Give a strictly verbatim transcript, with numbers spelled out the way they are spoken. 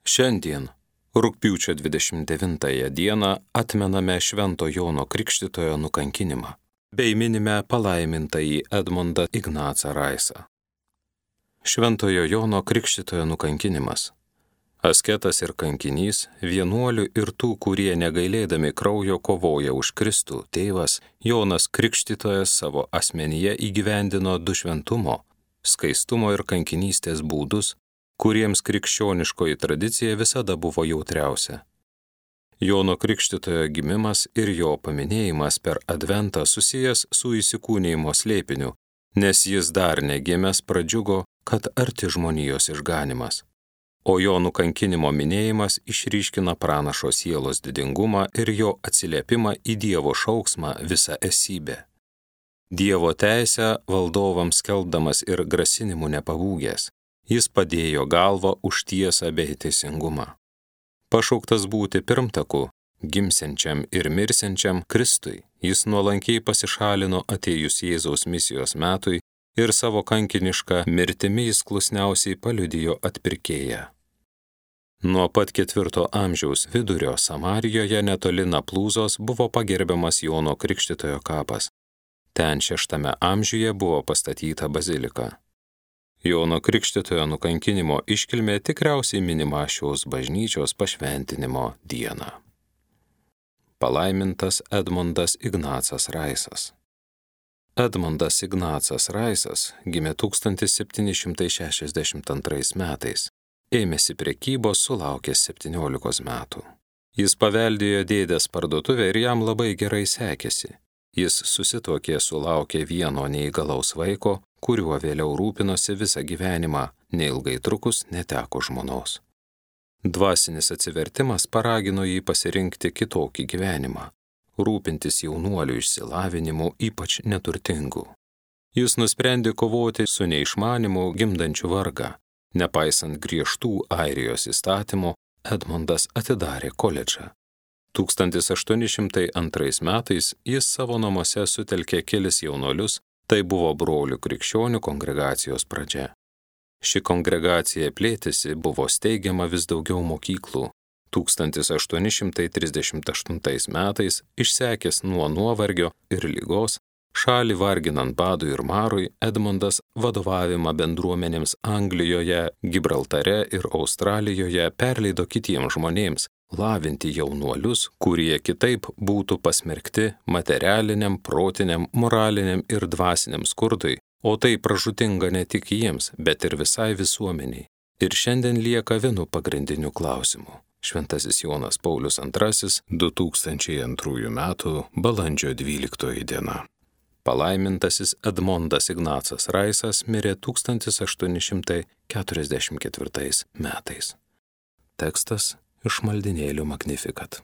Šiandien, rugpjūčio dvidešimt devintąją dieną, atmename Švento Jono Krikštytojo nukankinimą, bei minime palaimintąjį Edmundą Ignacą Raisą. Šventojo Jono Krikštytojo nukankinimas. Asketas ir kankinys, vienuolių ir tų, kurie negailėdami kraujo kovoja už Kristų, tėvas Jonas Krikštytojas savo asmenyje įgyvendino du šventumo, skaistumo ir kankinystės būdus, kuriems krikščioniškoji tradicija visada buvo jautriausia. Jono Krikštytojo gimimas ir jo paminėjimas per Adventą susijęs su įsikūnijimo slėpiniu, nes jis dar negimęs pradžiugo, kad arti žmonijos išganimas. O jo nukankinimo minėjimas išryškina pranašo sielos didingumą ir jo atsiliepimą į Dievo šauksmą visą esybę. Dievo teisę valdovams skelbdamas ir grasinimų nepabūgęs, jis padėjo galvą už tiesą bei teisingumą. Pašauktas būti pirmtaku, gimsiančiam ir mirsiančiam Kristui, jis nuolankiai pasišalino atėjus Jėzaus misijos metui ir savo kankinišką mirtimi jis klusniausiai paliudijo atpirkėją. Nuo pat ketvirto amžiaus vidurio Samarijoje netoli Naplūzos buvo pagerbiamas Jono Krikštytojo kapas. Ten šeštame amžiuje buvo pastatyta bazilika. Jono Krikštytojo nukankinimo iškilmė tikriausiai minima šios bažnyčios pašventinimo dieną. Palaimintas Edmundas Ignacas Raisas. Edmundas Ignacas Raisas gimė tūkstantis septyni šimtai šešiasdešimt antrais metais. Ėmėsi prekybos sulaukęs septyniolikos metų. Jis paveldėjo dėdės parduotuvę ir jam labai gerai sekėsi. Jis susituokė sulaukė vieno neįgalaus vaiko, kuriuo vėliau rūpinosi visą gyvenimą, neilgai trukus neteko žmonos. Dvasinis atsivertimas paragino jį pasirinkti kitokį gyvenimą, rūpintis jaunuolių išsilavinimu, ypač neturtingų. Jis nusprendė kovoti su neišmanimu gimdančiu vargą. Nepaisant griežtų Airijos įstatymų, Edmundas atidarė koledžą. tūkstantis aštuoni šimtai antrais metais jis savo namuose sutelkė kelis jaunuolius, tai buvo brolių krikščionių kongregacijos pradžia. Ši kongregacija plėtėsi, buvo steigiama vis daugiau mokyklų. tūkstantis aštuoni šimtai trisdešimt aštuntais metais, išsekęs nuo nuovargio ir ligos, šalį varginant badui ir marui, Edmundas vadovavimą bendruomenėms Anglijoje, Gibraltare ir Australijoje perleido kitiems žmonėms, lavinti jaunuolius, kurie kitaip būtų pasmerkti materialiniam, protiniam, moraliniam ir dvasiniam skurdui, o tai pražūtinga ne tik jiems, bet ir visai visuomeniai. Ir šiandien lieka vienu pagrindiniu klausimu. Šventasis Jonas Paulius antrasis, du tūkstančiai antrųjų metų balandžio dvyliktoji diena. Palaimintasis Edmundas Ignacas Raisas mirė tūkstantis aštuoni šimtai keturiasdešimt ketvirtais metais. Tekstas iš maldinėlių Magnificat.